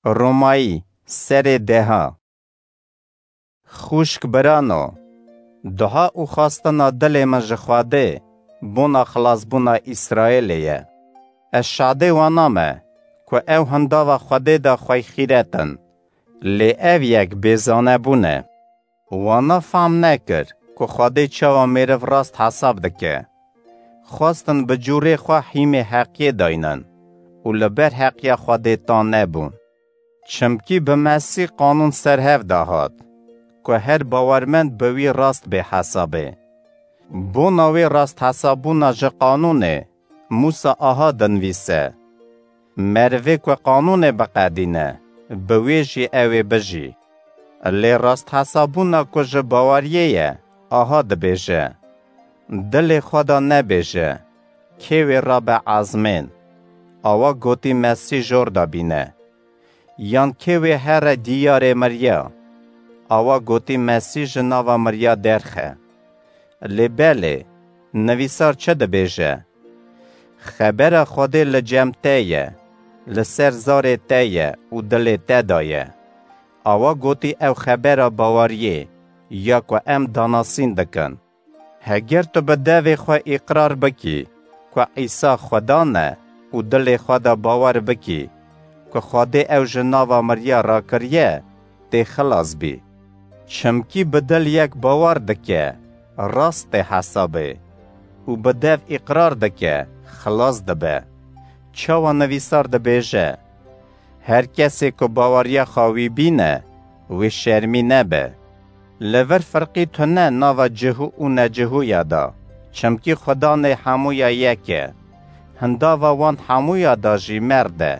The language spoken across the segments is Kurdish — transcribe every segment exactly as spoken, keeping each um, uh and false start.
Romayî, serê deha. Xwişk birano, duha û xwestina dilê min ji Xwedê bona xilasbûna Îsraêlê ye. Ez şadê wana me ku ew hindava Xwedê de xwey xîret in, lê ev yek bêzane bûne. Wana fam nekir ku Xwedê çawa mêriv rast hesab dike. Xwestin bi cûrê xwe hîmê heqiyê daynin û li ber heqiya Xwedê tan nebûn. Çimkî bi Mesîh qanûn ser hev de hat, ku her bawermend bi wî rast bê hesabê. Bona wê rasthesabûna ji qanûnê Mûsa aha dinivîse: Merivê ku qanûnê biqedîne, bi wê jî ew ê bijî. Lê rasthesabûna ku ji baweriyê ye, aha dibêje: Dilê xwe de nebêje, kê wê rabe ezmên. Awa gotî Mesîh jor de bîne. Yan kê wê here diyarê miriya. Awa gotî Mesîh ji nava miriya derxe. Lê belê, nivîsar çi dibêje? Xebera Xwedê li cem te ye, li ser zarê te ye û dilê te de ye. Awa gotî ew xebera baweriyê ya ku em danasîn dikin. Heger tu bi devê xwe îqrar bikî ku Îsa Xudan e û dilê xwe de bawer bikî ku Xwedê ew ji nava miriya rakiriye, tê xilas bî. Çimkî bi dil yek bawer dike, rast tê hesabê û bi dev îqrar dike, xilas dibe. Çawa nivîsar dibêje: Her kesê ku baweriya xwe wî bîne, wê şermî nebe. Li vir firqî tune nava cihû û necihûya de, çimkî Xudanê hemûya yek e. Hindava wan hemûya de jî merd e.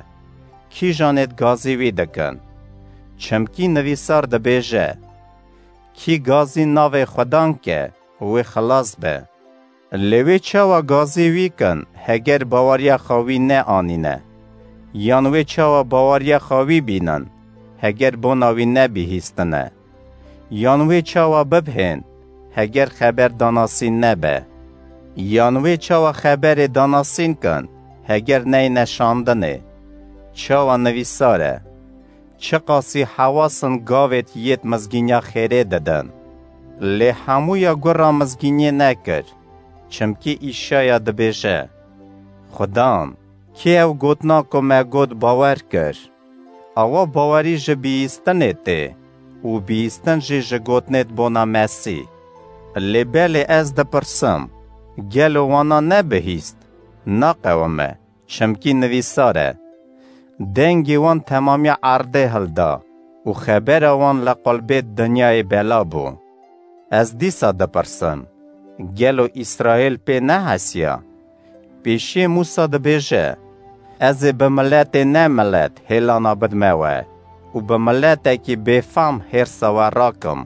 Kîjanê gazî wî dikin? Çimkî nivîsar dibêje: Kî gazî navê Xudan ke, wê xilas be. Lê wê çawa gazî wî kin, heger baweriya xwe wî neanîne? Yan wê çawa baweriya xwe wî bînin, heger bona wî nebihîstine? Yan wê çawa bibhên, heger xeber danasîn nebe? Yan wê çawa xeberê danasîn kin, heger neyne şandinê? Çawa nivîsar e: Çiqasî hewasin gavêt yêt mizgînya xêrê didin. Lê hemûya gura mizgîniyê nekir, çimkî Îşaya dibêje: Xudan, kê ew gotina ku me got bawer kir? Awa bawerî ji bihîstinê tê û bihîstin jî ji gotinêt bona Mesîh. Lê belê ez dipirsim, gelo wana nebihîst? Naqewime, çimkî nivîsar e: Dengê wan temamiya erdê hilda û xebera wan li qulbêt dinyayê bela bû. Ez dîsa dipirsim, gelo Îsraîl pê nehesiya? Pêşiyê Mûsa dibêje: Ez ê bi miletê ne milet hêlana bidime we û bi miletekî bêfam hêrsa we rakim.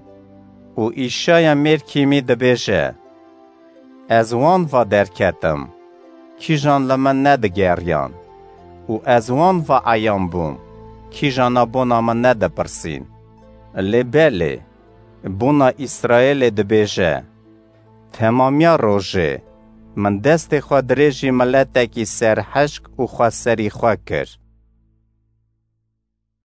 Û Îşaya mêr kîmî dibêje: Ez wan va derketim, kîjan li min nedigeriyan û ez wan va eyan bûm, kîjana bona min nedipirsîn. Lê belê, bona Îsraêlê dibêje: Temamiya rojê min destê xwe dirêjî miletekî serhişk û xweserîxwe kir.